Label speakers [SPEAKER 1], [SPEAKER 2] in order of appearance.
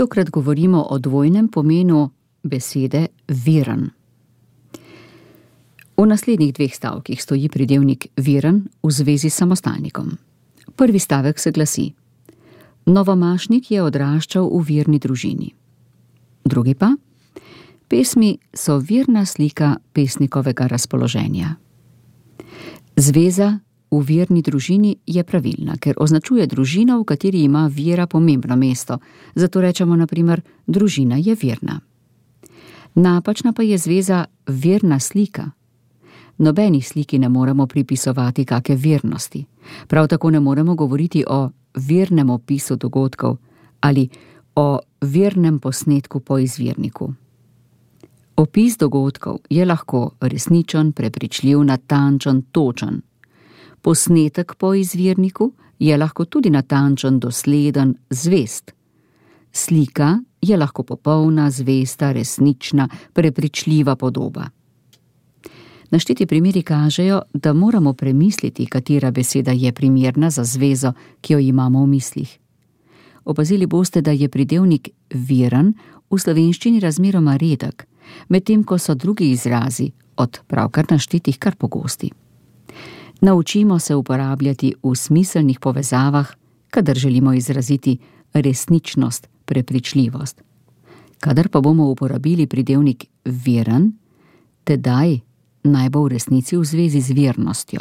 [SPEAKER 1] Tokrat govorimo o dvojnem pomenu besede veren. V naslednjih 2 stavkih stoji pridevnik veren v zvezi s samostalnikom. Prvi stavek se glasi: Novomašnik je odraščal v verni družini. Drugi pa: pesmi so verna slika pesnikovega razpoloženja. Zveza v verni družini je pravilna, ker označuje družino, v kateri ima vera pomembno mesto, zato rečemo na primer: družina je verna. Napačna pa je zveza verna slika. Nobeni sliki ne moremo pripisovati kake vernosti. Prav tako ne moremo govoriti o vernem opisu dogodkov ali o vernem posnetku po izvirniku. Opis dogodkov je lahko resničen, prepričljiv, natančen, točen. Posnetek po izvirniku je lahko tudi natančen, dosleden, zvest. Slika je lahko popolna, zvesta, resnična, prepričljiva podoba. Našteti primeri kažejo, da moramo premisliti, katera beseda je primerna za zvezo, ki jo imamo v mislih. Opazili boste, da je pridevnik veren v slovenščini razmeroma redek, medtem ko so drugi izrazi od pravkar naštetih kar pogosti. Naučimo se uporabljati v smiselnih povezavah, kadar želimo izraziti resničnost, prepričljivost. Kadar pa bomo uporabili pridevnik veren, tedaj naj bo v resnici v zvezi z vernostjo.